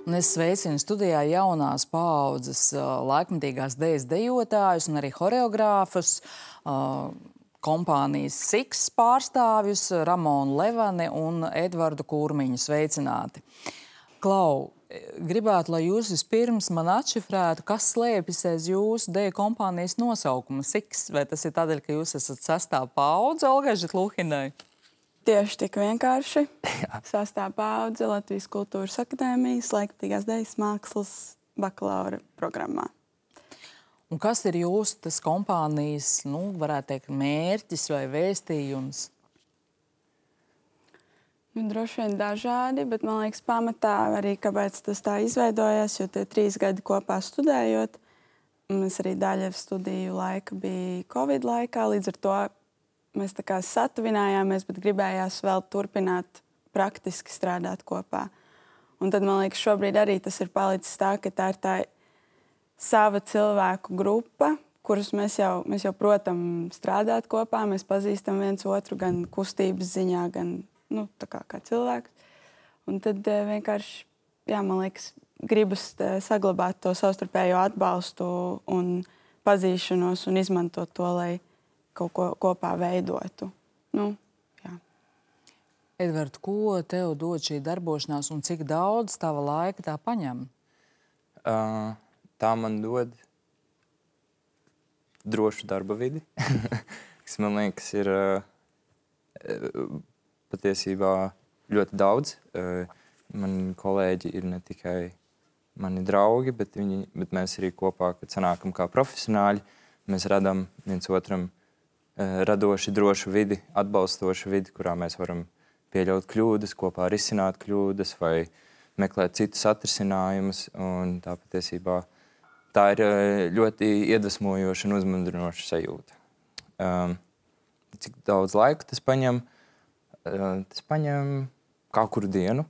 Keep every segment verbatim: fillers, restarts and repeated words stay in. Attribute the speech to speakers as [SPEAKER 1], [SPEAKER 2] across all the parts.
[SPEAKER 1] Un es sveicinu studijā jaunās paaudzes laikmetīgās dejas dejotājus un arī horeogrāfus, kompānijas Siks pārstāvjus Ramonu Levani un Edvardu Kurmiņu. Sveicināti. Klau, gribētu, lai jūs vispirms man atšifrētu, kas slēpjas aiz jūsu deju kompānijas nosaukuma Siks. Vai tas ir tādēļ, ka jūs esat sestā paudze Olgai Žitluhinai?
[SPEAKER 2] Tieši tik vienkārši. Sastā paudze Latvijas Kultūras akadēmijas laikmetīgās dejas mākslas bakalaura programmā.
[SPEAKER 1] Un kas ir jūsu tas kompānijas, nu, varētu teikt, mērķis vai vēstījums?
[SPEAKER 2] Nu, droši vien dažādi, bet man liekas pamatā arī, kāpēc tas tā izveidojās, jo tie trīs gadi kopā studējot, mēs arī daļa studiju laika bija Covid laikā, līdz ar to mēs tā kā satuvinājāmies, bet gribējās vēl turpināt praktiski strādāt kopā. Un tad, man liekas, šobrīd arī tas ir palicis tā, ka tā ir tā sava cilvēku grupa, kurus mēs jau, mēs jau protam strādāt kopā, mēs pazīstam viens otru gan kustības ziņā, gan, nu, tā kā, kā cilvēks. Un tad vienkārši, jā, man liekas, gribas saglabāt to savstarpējo atbalstu un pazīšanos un izmantot to, lai kaut ko kopā veidotu. Nu, jā.
[SPEAKER 1] Edvard, ko tev dod šī darbošanās un cik daudz tava laika tā paņem?
[SPEAKER 3] Uh, tā man dod drošu darba vidi, kas man liekas ir uh, patiesībā ļoti daudz. Uh, mani kolēģi ir ne tikai mani draugi, bet, viņi, bet mēs arī kopā, kad sanākam kā profesionāļi, mēs radam viens otram radoši, drošu vidi, atbalstošu vidi, kurā mēs varam pieļaut kļūdas, kopā risināt kļūdas vai meklēt citus atrisinājumus. Un tā patiesībā tā ir ļoti iedvesmojoša un uzmundrinoša sajūta. Um, cik daudz laika tas paņem? Uh, tas paņem katru dienu.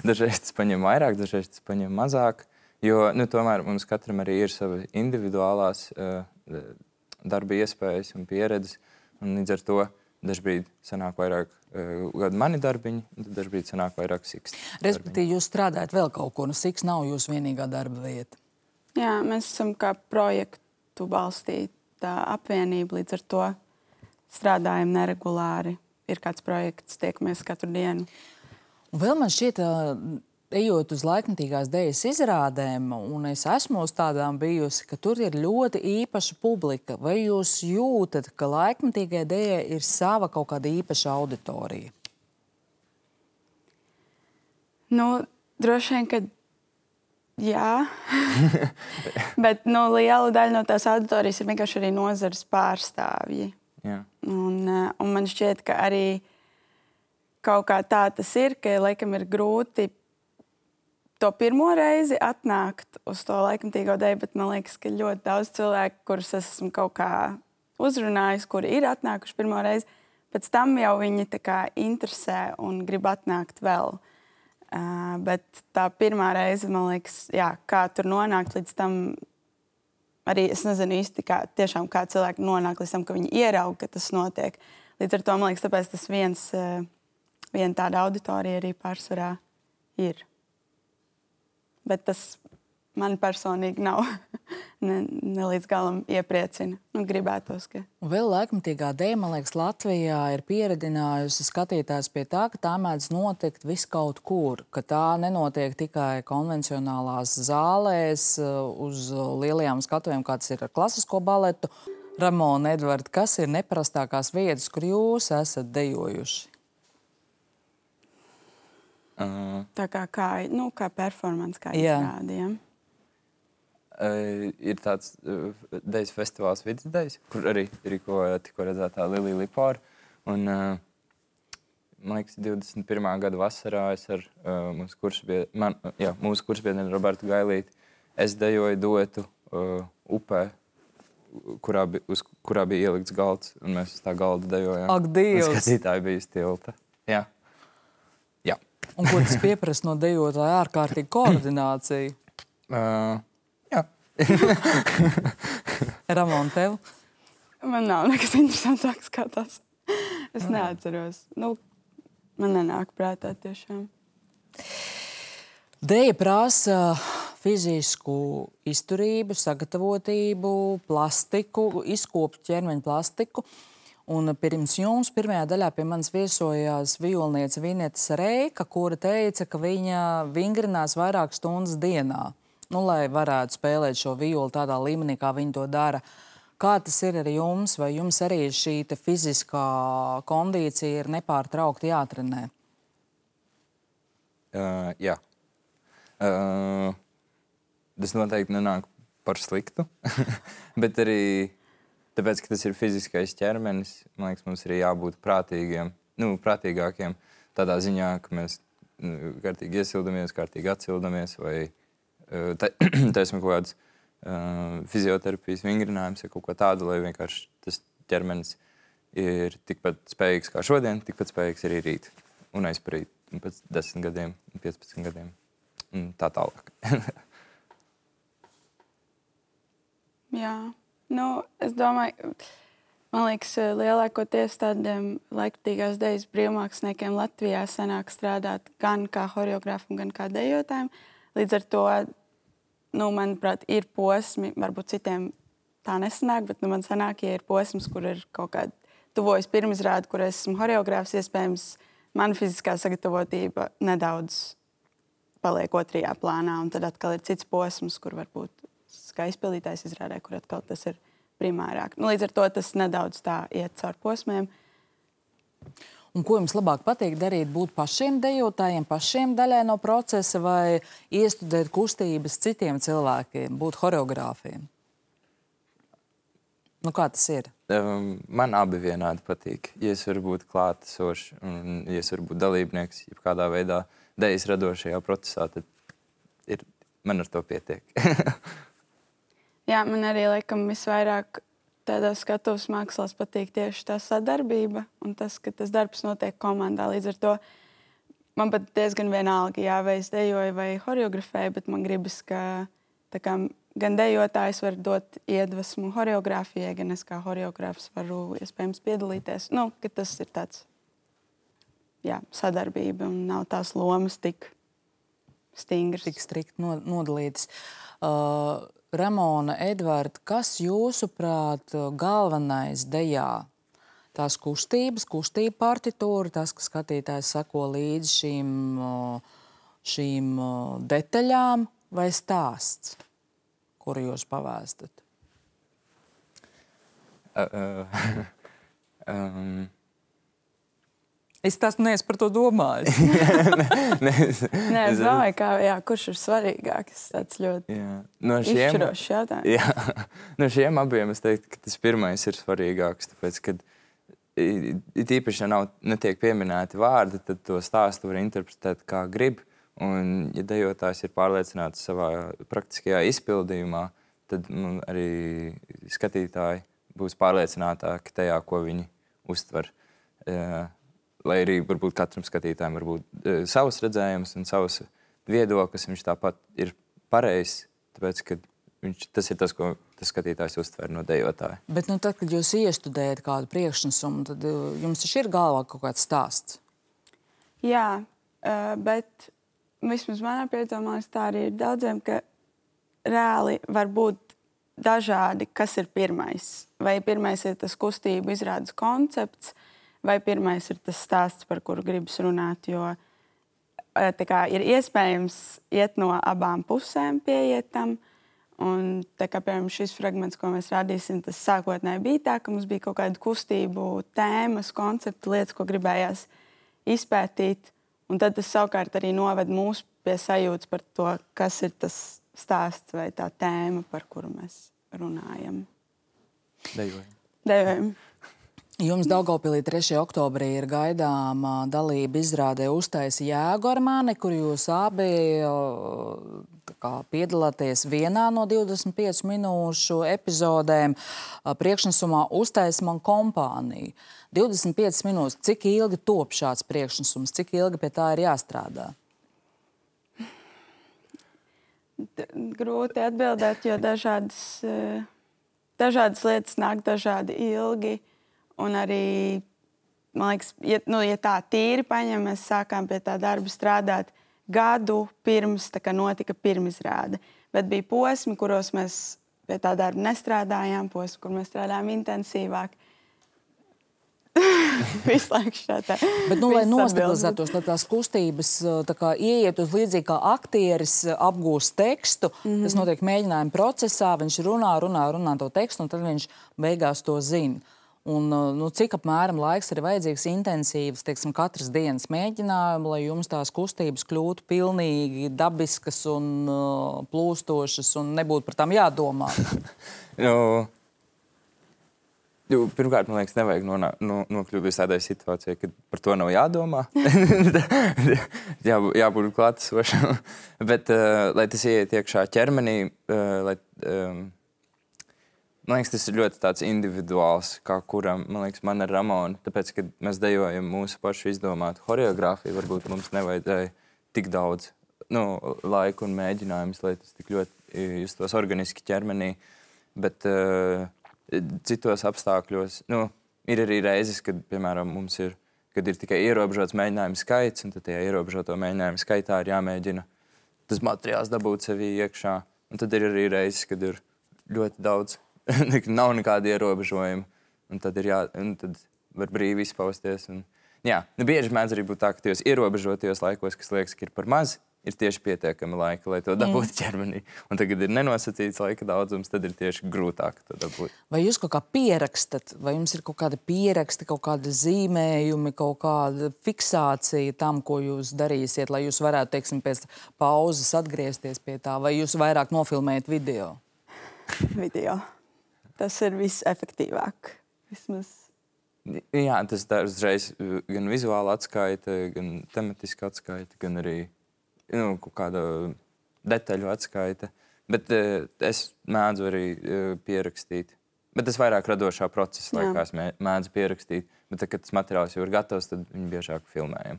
[SPEAKER 3] Dažreiz tas paņem vairāk, dažreiz tas paņem mazāk. Jo nu, tomēr mums katram arī ir savi individuālās uh, darba iespējas un pieredzes, un līdz ar to dažbrīd sanāk vairāk uh, mani darbiņi, un tad dažbrīd sanāk vairāk Siks.
[SPEAKER 1] Respektīvi, jūs strādājat vēl kaut ko, nu Siks nav jūsu vienīgā darba vieta.
[SPEAKER 2] Jā, mēs esam kā projektu balstīta apvienība, līdz ar to strādājam neregulāri. Ir kāds projekts, tiekamies katru dienu.
[SPEAKER 1] Un vēl man šķiet, ejot uz laikmetīgās dejas izrādēm, un es esmu uz tādām bijusi, ka tur ir ļoti īpaša publika. Vai jūs jūtat, ka laikmetīgai dejai ir sava kaut kāda īpaša auditorija?
[SPEAKER 2] Nu, droši vien, ka jā. Bet nu, liela daļa no tās auditorijas ir vienkārši arī nozares pārstāvji.
[SPEAKER 3] Jā.
[SPEAKER 2] Un, un man šķiet, ka arī kaut kā tā tas ir, ka laikam ir grūti to pirmo reizi atnākt uz to laikmetīgo deju, bet man liekas, ka ļoti daudz cilvēku, kurus esmu kaut kā uzrunājis, kuri ir atnākuši pirmo reizi, pēc tam jau viņi tā kā interesē un grib atnākt vēl. Uh, bet tā pirmā reize, man liekas, jā, kā tur nonākt līdz tam, arī es nezinu īsti, kā, tiešām kā cilvēki nonāk līdz tam, ka viņi ierauga, ka tas notiek. Līdz ar to, man liekas, tāpēc tas viens, uh, viena tāda auditorija arī pārsvarā ir. Bet tas man personīgi nav ne, ne līdz galam iepriecina. Nu, gribētos, ka...
[SPEAKER 1] Un vēl laikmetīgā deja, man liekas, Latvijā ir pieredinājusi skatītājs pie tā, ka tā mēdz notikt vis kaut kur, ka tā nenotiek tikai konvencionālās zālēs uz lielajām skatuvēm, kā tas ir ar klasisko baletu. Ramona, Edvard, kas ir neparastākās vietas, kur jūs esat dejojuši?
[SPEAKER 3] Uh,
[SPEAKER 2] tā kā, kā, nu, kā performance, kā
[SPEAKER 1] jā.
[SPEAKER 2] izrādījām.
[SPEAKER 3] Uh, ir tāds uh, dejas festivāls Vidas dejas, kur arī rīko tikko redzētā Lilija Lipāra. Un, uh, man liekas, divdesmit pirmā gada vasarā es ar uh, mūsu kursbiedru, man, jā, mūsu kursbiedru Robertu Gailīti, es dejoju duetu uh, upē, kurā, bi, uz kurā bija ielikts galds, un mēs uz tā galda dejojām.
[SPEAKER 1] Ak, Dievs!
[SPEAKER 3] Un skatītāji bija uz tilta. Jā. Jā.
[SPEAKER 1] Un ko tas pieprasa no dejotāja? Ārkārtīgi koordinācija?
[SPEAKER 3] Uh, jā.
[SPEAKER 1] Ramon, tev?
[SPEAKER 2] Man nav nekas interesantāks kā tas. Es neatceros. Nu, man nenāk prātā tiešām.
[SPEAKER 1] Dēja prasa fizisku izturību, sagatavotību, plastiku, izkopt ķermeņa plastiku. Un pirms jums pirmajā daļā pie manis viesojās vijolniece Vineta Reika, kura teica, ka viņa vingrinās vairāk stundas dienā, nu, lai varētu spēlēt šo vijoli tādā līmenī, kā viņa to dara. Kā tas ir ar jums? Vai jums arī šī te fiziskā kondīcija ir nepārtraukti jātrenē?
[SPEAKER 3] Uh, jā. Uh, tas noteikti nenāk par sliktu, bet arī tāpēc, ka tas ir fiziskais ķermenis, man liekas, mums ir jābūt prātīgiem, nu, prātīgākiem tādā ziņā, ka mēs nu, kārtīgi iesildamies, kārtīgi atsildamies, vai uh, taisam kaut kādas uh, fizioterapijas vingrinājums vai kaut ko tādu, lai vienkārši tas ķermenis ir tikpat spējīgs kā šodien, tikpat spējīgs arī rīt un aizparīt, un pēc desmit gadiem, piecpadsmit gadiem. Un tā tālāk.
[SPEAKER 2] Jā, nu, es domāju, man liekas, lielākoties tādiem laikmatīgās dejas brīvmāksliniekiem Latvijā sanāk strādāt gan kā horeogrāfam, gan kā dejotājiem. Līdz ar to, nu, manuprāt, ir posmi, varbūt citiem tā nesanāk, bet nu, man sanāk, ja ir posms, kur ir kaut kāda tuvojas pirmizrāde, kur es esmu horeogrāfs, iespējams, mana fiziskā sagatavotība nedaudz paliek otrajā plānā, un tad atkal ir cits posms, kur varbūt kā izpildītājs izrādē, kur atkal tas ir primārāk. Nu, līdz ar to tas nedaudz tā iet caur posmiem.
[SPEAKER 1] Un ko jums labāk patīk darīt? Būt pašiem dejotājiem, pašiem daļai no procesa vai iestudēt kustības citiem cilvēkiem, būt horeogrāfiem? Nu, kā tas ir?
[SPEAKER 3] Um, man abi vienādi patīk. Ja es varu būt klātesošs un ja es varu būt dalībnieks, ja kādā veidā dejas radošajā procesā, tad ir, man ar to pietiek.
[SPEAKER 2] Jā, man arī, laikam, visvairāk tādā skatuves mākslās patīk tieši tā sadarbība un tas, ka tas darbs notiek komandā. Līdz ar to man pat diezgan vienalga, jā, vai es dejoju vai horeografēju, bet man gribas, ka tā kā gan dejotājs var dot iedvesmu horeogrāfijai, gan es kā horeogrāfs varu iespējams piedalīties. Nu, ka tas ir tāds, jā, sadarbība un nav tās lomas tik stingras.
[SPEAKER 1] Tik strikt nodalītas. Uh, Ramona, Edvards, kas jūsuprāt galvenais dejā? Tās kustības, kustība partitūra, tas, ka skatītājs sako līdzi šīm, šīm detaļām vai stāsts, kuru jūs pavēstat?
[SPEAKER 3] Uh, uh, um.
[SPEAKER 1] Es tas neesmu par to domājis.
[SPEAKER 3] ne, es,
[SPEAKER 2] Nē, es domāju, kā, jā, kurš ir svarīgāks. Tas ļoti
[SPEAKER 3] no šiem,
[SPEAKER 2] izšķirošs jautājums.
[SPEAKER 3] Jā, no šiem abiem es teiktu, ka tas pirmais ir svarīgāks. Tāpēc, kad it īpaši, ja nav, netiek pieminēti vārdi, tad to stāstu var interpretēt kā grib. Un, ja dejotājs ir pārliecināts savā praktiskajā izpildījumā, tad nu, arī skatītāji būs pārliecinātāki tajā, ko viņi uztver. Uh, Lai arī varbūt katram skatītājam var būt e, savs redzējums un savs viedoklis, viņš tāpat ir pareizs, tāpēc, ka viņš, tas ir tas, ko tas skatītājs uztver no dejotāja.
[SPEAKER 1] Bet nu, tad, kad jūs iestudējat kādu priekšnesumu, tad jums taču ir galvā kaut kāds stāsts?
[SPEAKER 2] Jā, bet vismaz manā piedomā tā arī ir daudziem, ka reāli var būt dažādi, kas ir pirmais. Vai pirmais ir tas kustību izrādes koncepts, vai pirmais ir tas stāsts, par kuru gribas runāt, jo tā kā, ir iespējams iet no abām pusēm pieiet tam. Un, tā kā, piemēram, šis fragments, ko mēs rādīsim, tas sākotnēji bija tā, ka mums bija kaut kāda kustību tēmas, koncepti, lietas, ko gribējās izpētīt. Un tad tas savukārt arī noved mūs pie sajūtas par to, kas ir tas stāsts vai tā tēma, par kuru mēs runājam.
[SPEAKER 3] Dejojam.
[SPEAKER 2] Dejojam.
[SPEAKER 1] Jums Daugavpilī trešajā oktobrī ir gaidāma dalība izrādē Uztaisi jēgu ar mani, kur jūs abi kā, piedalāties vienā no divdesmit piecu minūšu epizodēm priekšnesumā Uztaisi man kompāniju. divdesmit piecas minūtes. Cik ilgi top šāds priekšnesums? Cik ilgi pie tā ir jāstrādā?
[SPEAKER 2] Grūti atbildēt, jo dažādas, dažādas lietas nāk dažādi ilgi. Un arī, man liekas, ja, nu, ja tā tīri paņem, mēs sākām pie tā darba strādāt, gadu pirms tā kā notika pirmizrāde. Bet bija posmi, kuros mēs pie tā darba nestrādājām, posmi, kur mēs strādājām intensīvāk. Visu laiku šādā.
[SPEAKER 1] Bet, nu, lai nostabilizētos, lai tās kustības tā kā ieiet uz līdzīgi kā aktieris apgūst tekstu, mm-hmm. tas notiek mēģinājuma procesā, viņš runā, runā, runā to tekstu, un tad viņš beigās to zina. Un, nu, cik apmēram laiks ir vajadzīgs intensīvs, teiksim, katras dienas mēģinājumu, lai jums tās kustības kļūtu pilnīgi dabiskas un uh, plūstošas un nebūtu par tām jādomā?
[SPEAKER 3] no... Jo, pirmkārt, man liekas, nevajag nonā, no, nokļūt līdz tādai situācijai, kad par to nav jādomā. Jā, jābūt klātesošam. Bet, uh, lai tas ieiet iekšā ķermenī, uh, lai, um, man liekas, tas ir ļoti tāds individuāls, kā kuram, man liekas, man ar Ramonu. Tāpēc, kad mēs dejojam mūsu pašu izdomātu horeogrāfiju, varbūt mums nevajadzēja tik daudz nu, laika un mēģinājumus, lai tas tik ļoti justos organiski ķermenī. Bet... Uh, Citos apstākļos, nu, ir arī reizes, kad, piemēram, mums ir, kad ir tikai ierobežots mēģinājumu skaits, un tad tajā ierobežoto mēģinājumu skaitā ir jāmēģina tas materiāls dabūt sevī iekšā. Un tad ir arī reizes, kad ir ļoti daudz, nav nekāda ierobežojuma, un tad, ir jā, un tad var brīvi izpausties. Un, jā, nu, bieži mēdz arī būt tā, ka tajos ierobežotajos laikos, kas liekas, ka ir par maz, ir tieši pietiekami laika, lai to dabūtu mm. ķermenī. Un tagad ir nenosacīts laika daudzums, tad ir tieši grūtāk to dabūt.
[SPEAKER 1] Vai jūs kaut kā pierakstat, vai jums ir kaut kāda pieraksti, kaut kāda zīmējumi, kaut kāda fiksācija tam, ko jūs darīsiet, lai jūs varētu, teiksim, pēc pauzes atgriezties pie tā, vai jūs vairāk nofilmējat video?
[SPEAKER 2] Video. Tas ir visefektīvāk. Vismaz.
[SPEAKER 3] Jā, tas tā uzreiz gan vizuāli atskaita, gan tematiski atskaita, gan arī nu, kāda detaļu atskaita. Bet uh, es mēdzu arī uh, pierakstīt. Bet tas vairāk radošā procesa laikā es mēdzu pierakstīt. Bet tad, kad tas materiāls jau ir gatavs, tad viņu biežāk filmējam.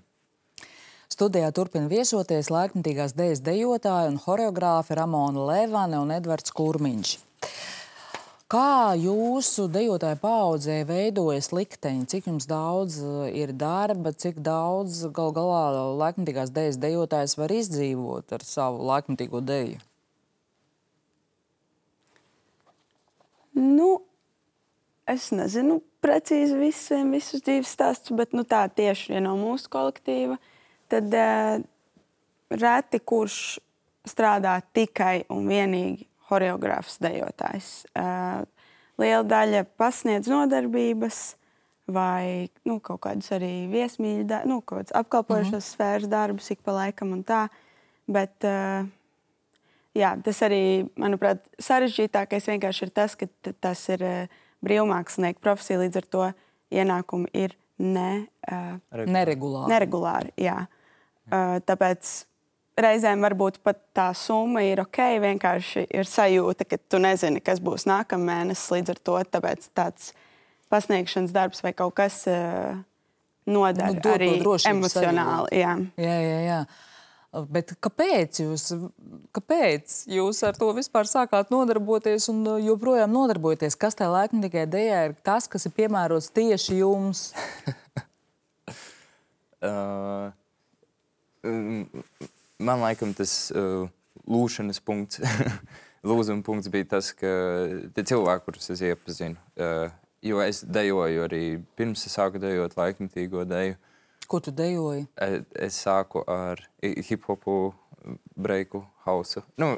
[SPEAKER 1] Studijā turpina viesoties laikmetīgās dejas dejotāji un horeogrāfi Ramona Levane un Edvards Kurmiņš. Kā jūsu dejotāju paaudzē veidojas likteņi? Cik jums daudz ir darba, cik daudz gal galā laikmetīgās dejas dejotājs var izdzīvot ar savu laikmetīgo deju?
[SPEAKER 2] Nu, es nezinu precīzi visiem visus dzīves stāstus, bet nu, tā tieši ja no mūsu kolektīva. Tad uh, reti kurš strādā tikai un vienīgi horeogrāfs dejotājs. Uh, liela daļa pasniedz nodarbības vai nu, kaut kādus arī viesmīļu, da- nu, kaut kāds apkalpojušos mm-hmm. sfēras darbus ik pa laikam un tā. Bet uh, jā, tas arī, manuprāt, sarežģītākais vienkārši ir tas, ka t- tas ir uh, brīvmākslinieku profesija, līdz ar to ienākumi ir ne, uh,
[SPEAKER 1] neregulāri.
[SPEAKER 2] neregulāri jā. Uh, tāpēc reizēm varbūt pat tā summa ir ok, vienkārši ir sajūta, ka tu nezini, kas būs nākamēnesis, līdz ar to tāpēc tāds pasniegšanas darbs vai kaut kas uh, nodara
[SPEAKER 1] nu,
[SPEAKER 2] arī emocionāli. Jā.
[SPEAKER 1] Jā, jā, jā. Bet kāpēc jūs, kāpēc jūs ar to vispār sākāt nodarboties un joprojām nodarbojaties? Kas tajā laikmetīgajā dejā ir tas, kas ir piemērots tieši jums?
[SPEAKER 3] uh, um, Man laikam tas uh, lūšanas punkts, lūzuma punkts bija tas, ka tie cilvēki, kurus es iepazinu, uh, jo es dejoju arī pirms es sāku dejot laikmetīgo deju.
[SPEAKER 1] Ko tu dejoji?
[SPEAKER 3] Es, es sāku ar hip-hopu, breiku, hausu. Nu,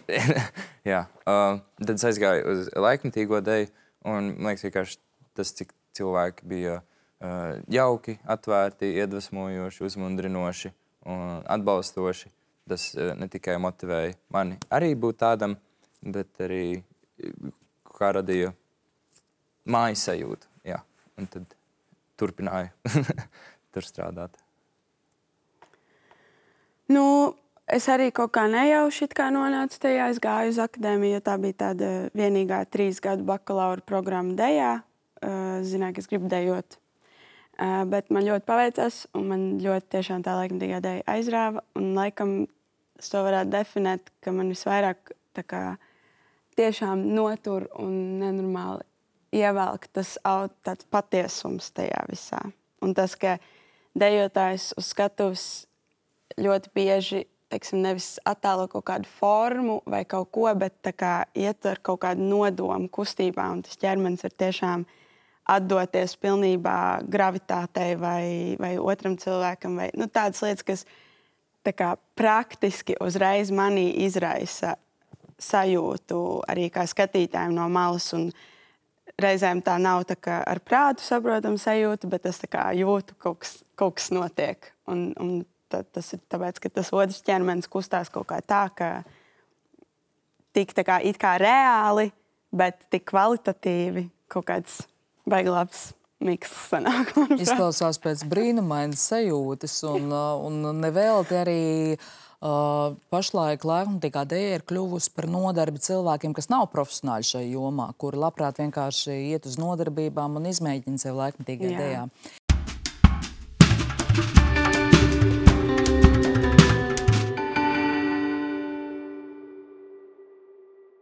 [SPEAKER 3] jā. Uh, tad es aizgāju uz laikmetīgo deju, un man liekas vienkārši tas, cik cilvēki bija uh, jauki, atvērti, iedvesmojoši, uzmundrinoši un atbalstoši. Tas ne tikai motivēja mani arī būt tādam, bet arī kā radīja mājas sajūtu. Jā. Un tad turpināju tur strādāt.
[SPEAKER 2] Nu, es arī kaut kā nejauši it kā nonācu tajā. Es gāju uz akadēmiju, jo tā bija tāda vienīgā trīs gadu bakalaura programma dejā. Zināju, ka es gribu dejot. Bet man ļoti paveicās, un man ļoti tiešām tā laikmetīgā deja aizrāva. Un laikam es to varētu definēt, ka man visvairāk tā kā tiešām notur un nenormāli ievelk tas tāds patiesums tajā visā. Un tas, ka dejotājs uz skatuves ļoti bieži teiksim, nevis attēlo kaut kādu formu vai kaut ko, bet tā kā ietver kaut kādu nodomu kustībā, un tas ķermenis var tiešām atdoties pilnībā gravitātei vai, vai otram cilvēkam, vai nu, tādas lietas, kas tā kā praktiski uzreiz manī izraisa sajūtu arī kā skatītājiem no malas, un reizēm tā nav tā kā ar prātu saprotama sajūta, bet es tā kā jūtu, kaut kas, kaut kas notiek. Un, un tā, tas ir tāpēc, ka tas otrs ķermenis kustās kaut kā tā, ka tik tā kā it kā reāli, bet tik kvalitatīvi kaut kāds baigi labs miks sanāk.
[SPEAKER 1] Izklausās pēc brīnumainas sajūtas, un, un nevelti arī uh, pašlaik laikmatīgā dēja ir kļuvusi par nodarbi cilvēkiem, kas nav profesionāļi šajā jomā, kuri labprāt vienkārši iet uz nodarbībām un izmēģina sevi laikmatīgajā dējā.